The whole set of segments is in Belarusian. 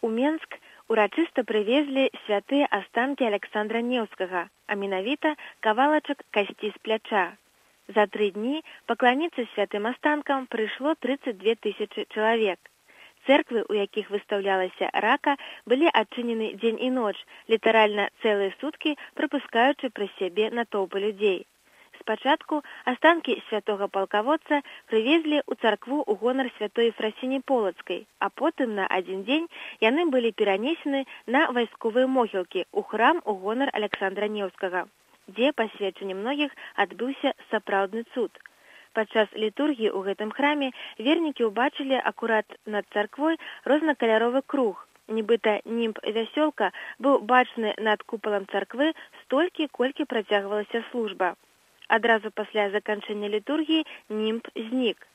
У Менск урачыста прывезлі святыя астанкі Александра Неўскага, а менавіта кавалачак касці з пляча. За 3 дні пакланіцца святым астанкам прыйшло 32 тысячы чалавек. Церквы, у якіх выстаўлялася рака, былі адчынены дзень і ноч, літаральна цэлыя суткі прапускаючы праз сябе натоўпы людзей. Спачатку астанкі святога палкаводца прывезлі ў царкву ў гонар святой Ефрасіні Полацкай, а потым на адзін дзень яны былі перанесены на вайсковыя могілкі ў храм у гонар Александра Неўскага, дзе, па сведчанні многіх, адбыўся сапраўдны цуд. Падчас літургіі ў гэтым храме вернікі ўбачылі акурат над царквой рознакаляровы круг. Нібыта німб вясёлка быў бачны над купалам царквы столькі, колькі працягвалася служба. Адразу пасля заканчэння літургіі німб знік.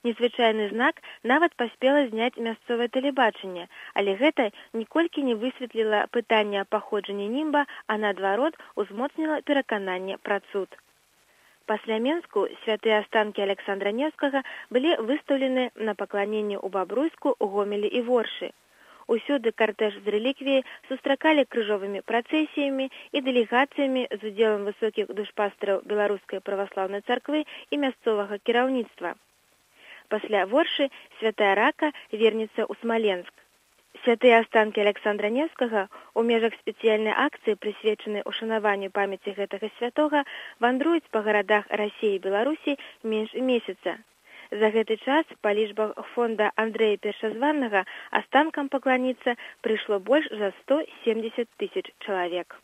Незвычайны знак нават паспела зняць мясцовае тэлебачанне, але гэта ніколькі не высветліла пытання паходжання німба, а наадварот узмоцніла перакананне пра цуд. Пасля Менску святыя астанкі Александра Неўскага былі выстаўлены на пакланенне ў Бабруйску, Гомелі і Воршы. Усюды картэж з рэліквіяй сустракалі крыжовымі працэсіямі і дэлегацыямі з удзелам высокіх душпастараў Беларускай праваслаўнай царквы і мясцовага кіраўніцтва. Пасля Воршы святая рака вернецца ў Смаленск. Святыя астанкі Александра Неўскага ў межах спецыяльнай акцыі, прысвечанай ушанаванню памяці гэтага святога, вандруюць па гарадах Расіі і Беларусі менш месяца. За гэты час па лічбах фонда Андрэя Першазваннага астанкам пакланіцца прыйшло больш за 170 тысяч чалавек.